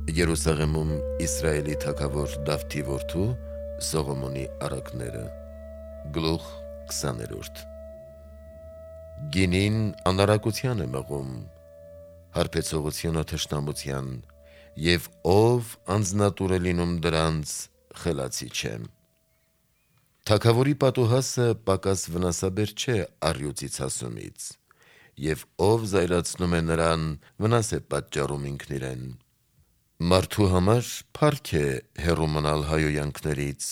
Երուսաղեմում Իսրայելի թագավոր Դավթի որդու Սողոմոնի առակները Գլուխ 20 Գինին անարակության է մղում, հարբեցողությունը թշնամության, և ով անձնատուր է լինում դրանց, խելացի չէ։ Թագավորի պատուհասը պակաս վնասաբեր չէ առյուծի ցասումից, և ով զայրացնում է նրան, վնաս է պատճառում ինքն իրեն։ Մարդու համար փառք է հեռու մնալ հայհոյանքներից,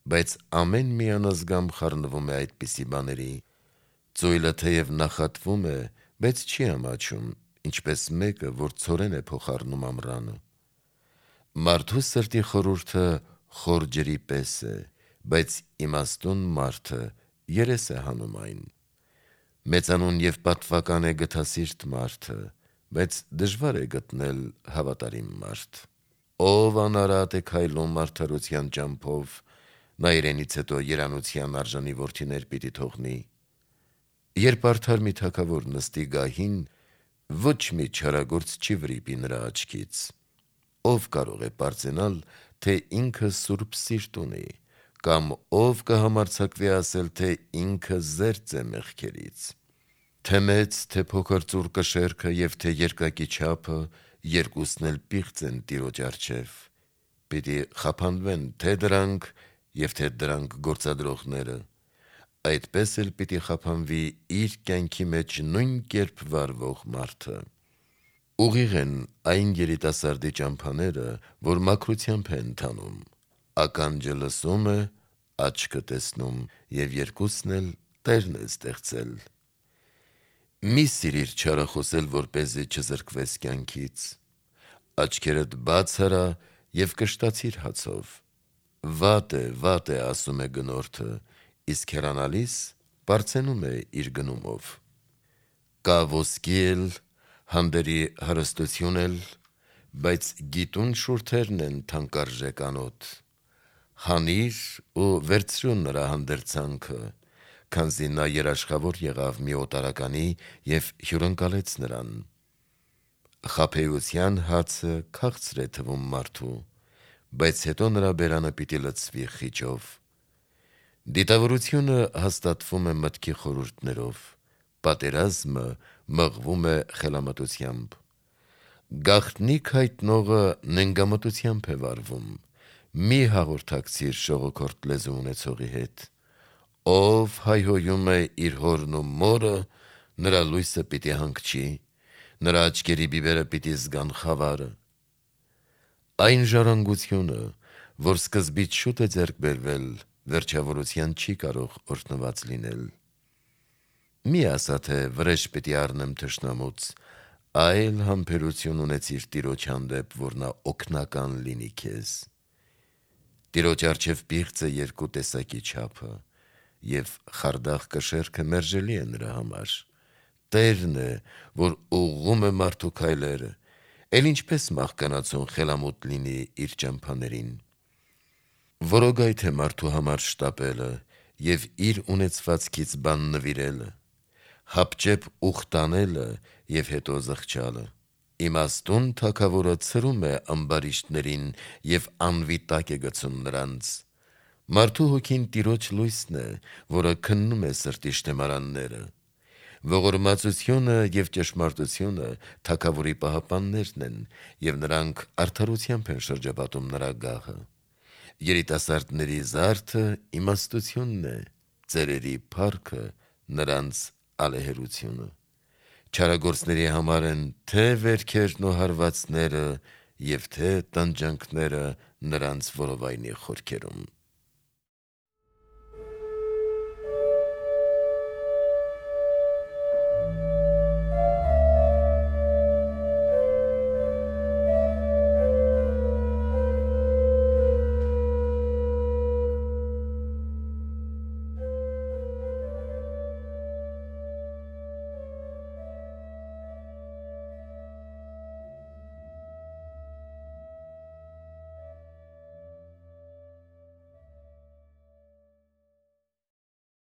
բայց ամեն մի անազգամ խառնվում է այդպիսի բաների։ Ծույլը թեև նախատվում է, բայց չի ամաչում, ինչպես մեկը, որ ցորեն է փոխառնում ամռանը։ Մարդու սրտի խորհուրդը խոր ջրի պես է, բայց իմաստուն մարդը երես է հանում այն։ Մեծանուն և պատվական է գթասիրտ մարդը, բայց դժվար է գտնել հավատարիմ մարդ։ Ով անարատ է քայլում արդարության ճամփով, նա իրենից հետո երանության արժանի որդիներ պիտի թողնի։ Երբ արդար մի թագավոր նստի գահին, ոչ մի չարագործ չի վրիպի նրա աչքից։ Ով կարող է պարծենալ, թե ինքը սուրբ սիրտ ունի, կամ ով կհամարձակվի ասել, թե ինքը զերծ է մեղքերից։ Թե մեծ, թե փոքր ծուռ կշեռքը և թե երկակի չափը, երկուսն էլ պիղծ են Տիրոջ առջև։ Պիտի խափանվեն թե դրանք և թե դրանք գործադրողները։ Այդպես էլ պիտի խափանվի իր կյանքի մեջ նույն կերպ վարվող մարդը։ Ուղիղ են այն երիտասարդի ճամփաները, որ մաքրությամբ է ընթանում։ Ականջը լսում է, աչքը տեսնում, և երկուսն էլ Տերն է ստեղծել։ Մի սիրիր չարը խոսել, որպեսզի չզրկվես կյանքից։ Աչքերդ բաց արա և կշտացիր հացով։ Վատ է, ասում է գնորդը, իսկ հեռանալիս պարծենում է իր գնումով։ Կա ոսկի էլ, հանդերի հարստություն էլ, բայց գիտուն շուրթերն են թանկարժեք անոթ։ Հանիր ու վերցրու նրա հանդերձանքը, քանզի նա երաշխավոր եղավ մի օտարականի և հյուրընկալեց նրան։ Խաբեության հացը քաղցր է թվում մարդու, բայց հետո նրա բերանը պիտի լցվի խիճով։ Դիտավորությունը հաստատվում է մտքի խորհուրդներով, պատերազմը մղվում է խելամտությամբ։ Գաղտնիք հայտնողը նենգամտությամբ է վարվում։ Մի հաղորդակցիր շողոքորթ լեզու ունեցողի հետ։ Ով հայհոյում է իր հորն ու մորը, նրա լույսը պիտի հանգչի, նրա աչքերի բիբերը պիտի զգան խավարը։ Այն ժառանգությունը, որ սկզբից շուտ է ձեռք բերվել, վերջավորության չի կարող օրհնված լինել։ Մի ասա, թե վրեժ պիտի առնեմ թշնամուց, այլ համբերություն ունեցիր Տիրոջ հանդեպ, որ նա օգնական լինի քեզ։ Տիրոջ առջև պիղծ է երկու տեսակի չափը, և խարդախ կշեռքը մերժելի է նրա համար։ Տերն է, որ ուղղում է մարդու քայլերը, էլ ինչպես մահկանացուն խելամուտ լինի իր ճամփաներին։ Որոգայթ է մարդու համար շտապելը և իր ունեցվածքից բան նվիրելը, հապճեպ ուխտ անելը և հետո զղջալը։ Իմաստուն թագավորը ցրում է ամբարիշտներին և անվիտակ է գցում նրանց։ Մարդու հոգին Տիրոջ լույսն է, որը քննում է սրտի շտեմարանները։ Ողորմածությունը և ճշմարտությունը թագավորի պահապաններն են, և նրանք արդարությամբ են շրջապատում նրա գահը։ Երիտասարդների զարդը իմաստությունն է, ծերերի փառքը նրանց ալեհերությունը։ Չարագործների համար են թե վերքերն ու հարվածները, և թե տանջանքները նրանց որովայնի խորքերում։